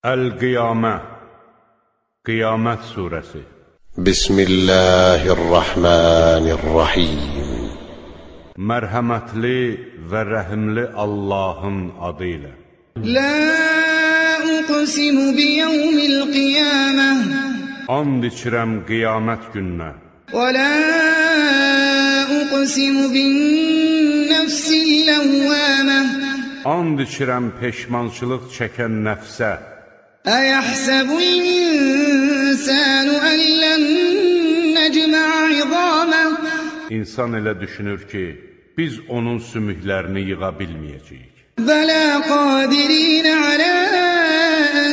Əl-Qiyamə Qiyamət surəsi Bismillahirrahmanirrahim Mərhəmətli və rəhimli Allahın adı ilə La uqsimu biyevmil qiyamə And içirəm qiyamət gününə Və la uqsimu bin nəfsil ləvvəmə And içirəm peşmançılıq çəkən nəfsə أيحسب الإنسان أن لن نجمع عظامه İnsan elə düşünür ki, biz onun sümüklərini yığa bilməyəcəyik. بلى قادرين على أن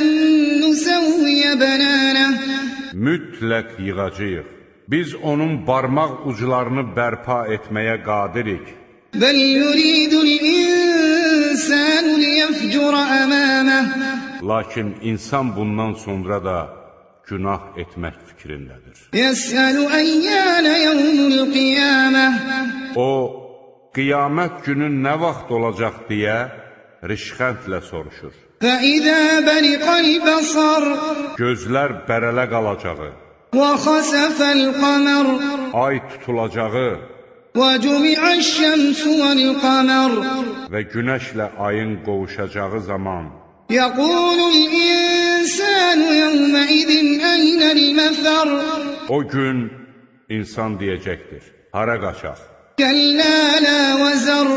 نسوي بنانه Mütləq yığacağıq. Biz onun barmaq uclarını bərpa etməyə qadirik. بل يريد الإنسان ليفجر أمامه Lakin insan bundan sonra da günah etmək fikrindədir. يسأل أيان يوم القيامة O, qiyamət günü nə vaxt olacaq deyə rişxəndlə soruşur. فإذا برق البصر Gözlər bərələ qalacağı, وخسف القمر ay tutulacağı وجمع الشمس والقمر və günəşlə ayın qovuşacağı zaman يقول الإنسان يومئذ أين المفر o gün insan deyəcəkdir, hara qaçaq? كلا لا وزر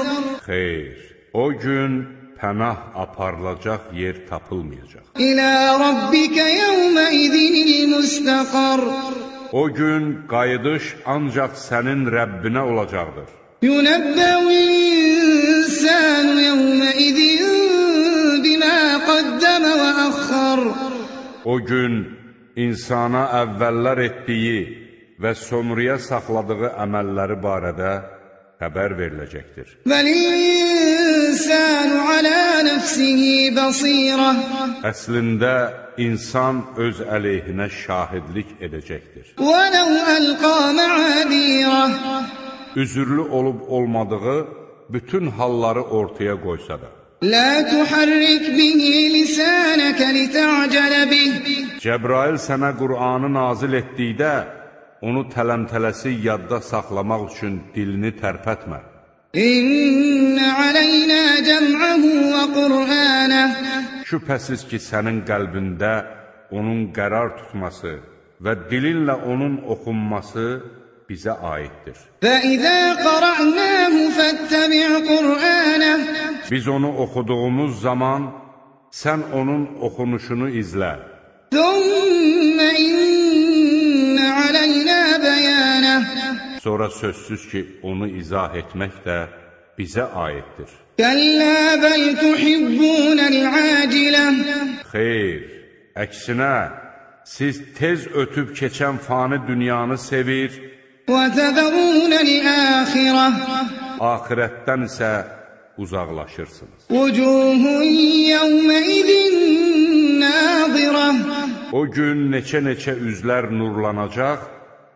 Xeyr, o gün pənah aparılacaq yer tapılmayacaq. إلى ربك يومئذ المستقر O gün qayıdış ancaq sənin Rəbbinə olacaqdır. ينبأ الإنسان يومئذ بما قدم وأخر O gün insana əvvəllər etdiyi və sonraya saxladığı əməlləri barədə xəbər veriləcəkdir. بل الإنسان على نفسه بصيرة Əslində, insan öz əleyhinə şahidlik edəcəkdir. ولو ألقى معاذيره Üzürlü olub olmadığı bütün halları ortaya qoysa da. لا تحرك به لسانك لتعجل به Cəbrail sənə Qur'anı nazil etdikdə, onu tələmtələsi yadda saxlamaq üçün dilini tərpətmə. إن علينا جمعه وقرآنه Şübhəsiz ki, sənin qəlbində onun qərar tutması və dilinlə onun oxunması bizə aiddir. فإذا قرأناه فاتبع قرآنه Biz onu oxuduğumuz zaman, sən onun oxunuşunu izlə. ثم إن علينا بيانه Sonra sözsüz ki, onu izah etmək də bizə aiddir. كلا بل تحبون العاجلة Xeyr, əksinə, siz tez ötüb keçən fani dünyanı sevir, وتذرون الآخرة axirətdən isə uzaqlaşırsınız. وجوه يومئذ ناظرة O gün neçə-neçə üzlər nurlanacaq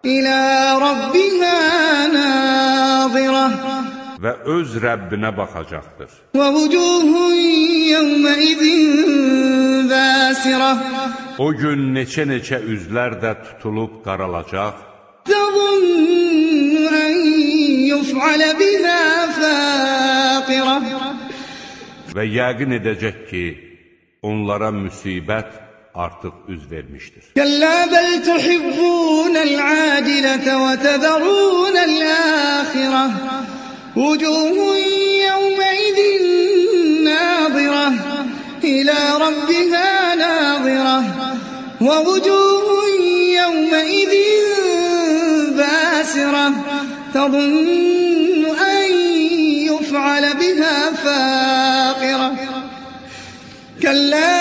إلى ربها ناظرة və öz Rəbbinə baxacaqdır. ووجوه يومئذ باسرة O gün neçə-neçə üzlər də tutulub qaralacaq تظن أن يفعل بها فاقرة və yəqin edəcək ki, onlara müsibət artıq üz vermişdir. كلا بل تحبون العاجلة وتذرون الآخرة وجوه يومئذ ناظرة إلى ربها ناظرة ووجوه يومئذ باسرة تظن أن يفعل بها فاقرة كلا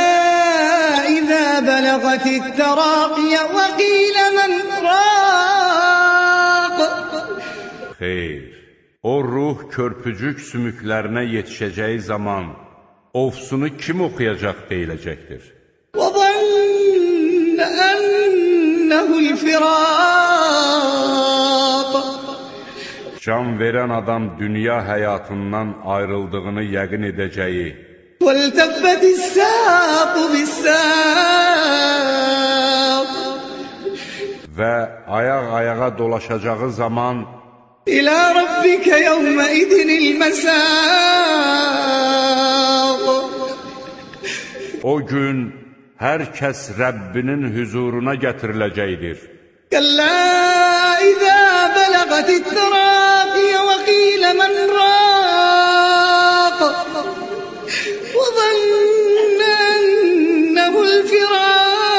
إذا بلغت التراقي وقيل من راق Xeyr, o ruh körpücük sümüklərinə yetişəcəyi zaman ofsunu kim oxuyacaq deyiləcəkdir. وظن أنه الفراق Can verən adam dünya həyatından ayrıldığını yəqin edəcəyi والتفت الساق بالساق ayaq-ayağa dolaşacağı zaman إلى ربك يومئذ المساق o gün hər kəs Rəbbinin hüzuruna gətiriləcəkdir. كلا إذا بلغت التراقي وقيل من راق وظن أنه الفراق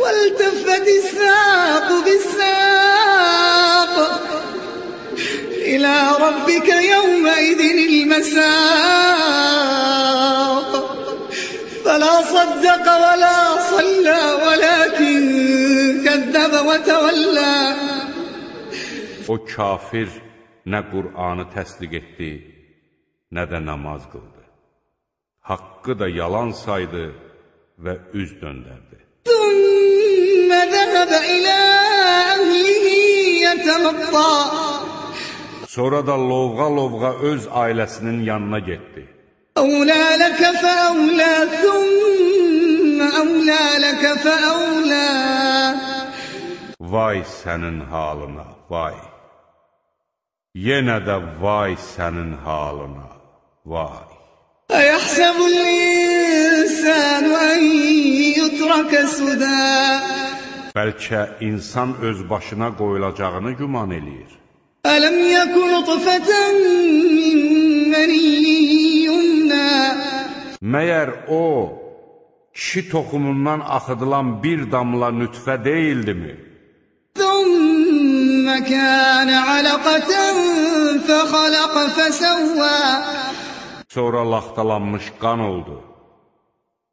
والتفت الساق بالساق إلى ربك يومئذ المساق فلا صدق ولا صلى ولكن كذب وتولى O kafir nə Qur'anı təsdiq etdi, nə də namaz qıldı. Haqqı da yalan saydı və üz döndərdi. ثم ذهب إلى أهله يتمطى Sonra da lovğa-lovğa öz ailəsinin yanına getdi. أولى لك فأولى ثم أولى لك فأولى Vay sənin halına, vay. Yenə də vay sənin halına, vay. أيحسب الإنسان أن يترك سدى Bəlkə insan öz başına qoyulacağını güman eləyir. ألم يك نطفة من مني يمنى Məyər o, kişi toxumundan axıdılan bir damla nütfə deyildimi? ثم كان علقة فخلق فسوى Sonra laxtalanmış qan oldu.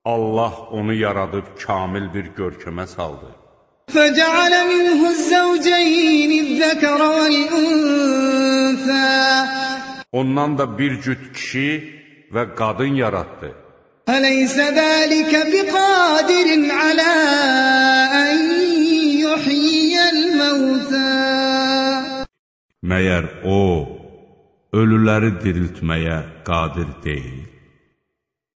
Allah onu yaradıb kamil bir görkəmə saldı. فجعل منه الزوجين الذكر والأنثى Ondan da bir cüt kişi və qadın yaratdı. أليس ذلك بقادر على أن يحيي الموتى Məyər o, ölüləri diriltməyə qadir deyil.